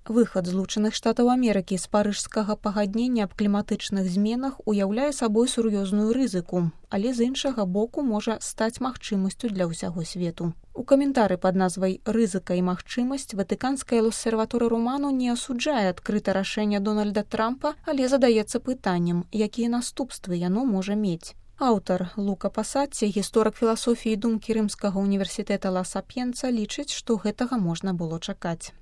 Выхад Злучаных Штатаў Амерыкі з парыжскага пагаднення аб кліматычных зменах уяўляе сабой сур'ёзную рызыку, але з іншага боку можа стаць магчымасцю для ўсяго свету. У каментары пад назвай «Рызыка і магчымасць» ватыканская L'Osservatore Romano не асуджае адкрыта рашэнне Дональда Трампа, але задаецца пытаннем, якія наступствы яно можа мець. Аўтар Лука Пасатці, гісторык філасофіі і думкі Рымскага універсітэта Ла Сапьенца, лічыць, што гэтага можна было чакаць.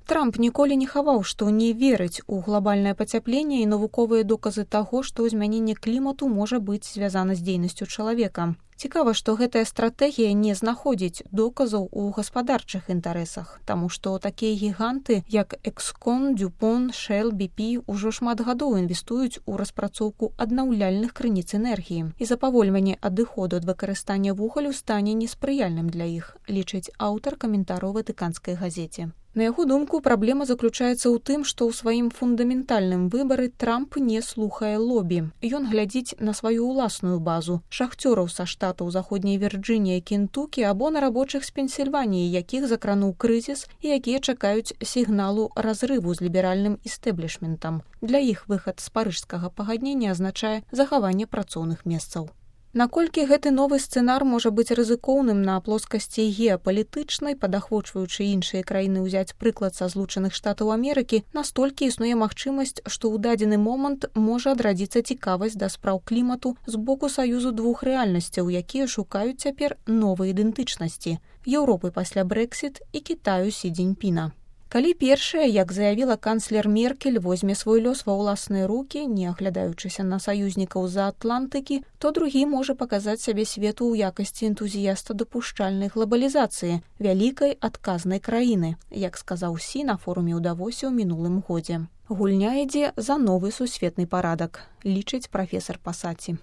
Трамп ніколі не хаваў, што не верыць у глобальнае пацяпленне і навуковыя доказы таго, што змяненне клімату можа быць звязана з дзейнасцю чалавека. Цікава, што гэтая стратэгія не знаходзіць доказаў у гаспадарчых інтарэсах, таму што такія гіганты, як Экскон, Дюпон, Шэл, BP, ужо шмат гадоў інвестуюць у распрацоўку аднаўляльных крыніц энергіі. І запавольванне адыходу ад выкарыстання вугалю стане неспрыяльным для іх, лічыць аўтар каментараў ватыканскай газеце. На яго думку, праблема заключаецца ў тым, што ў сваім фундаментальным выбары Трамп не слухае лобі. Ён глядзіць на сваю ўласную базу, шахцёраў са штатаў Заходняй Вірджыніі і Кентукі або на рабочых з Пенсільваніі, якіх закрануў крызіс і якія чакаюць сігналу разрыву з ліберальным істэблішментам. Для іх выхад з парыжскага пагаднення азначае захаванне працоўных месцаў. Наколькі гэты новы сцэнар можа быць рызыкоўным на плоскасці геапалітычнай, падахвочваючы іншыя краіны ўзяць прыклад са Злучаных Штатаў Амерыкі, настолькі існуе магчымасць, што ў дадзены момант можа адрадзіцца цікавасць да спраў клімату з боку саюзу двух рэальнасцяў, якія шукаюць цяпер новай ідэнтычнасці – Еўропы пасля Брэксіт і Кітаю Сі Цзіньпіна. Калі першая, як заявіла канцлер Меркель, возьме свой лёс ва ўласныя рукі, не аглядаючыся на саюзнікаў з-за Атлантыкі, то другі можа паказаць сябе свету ў якасці энтузіяста дапушчальнай глабалізацыі, вялікай адказнай краіны, як сказаў Сі на форуме ў Давосе ў мінулым годзе. Гульня ідзе за новы сусветны парадак, лічыць прафесар Пасатці.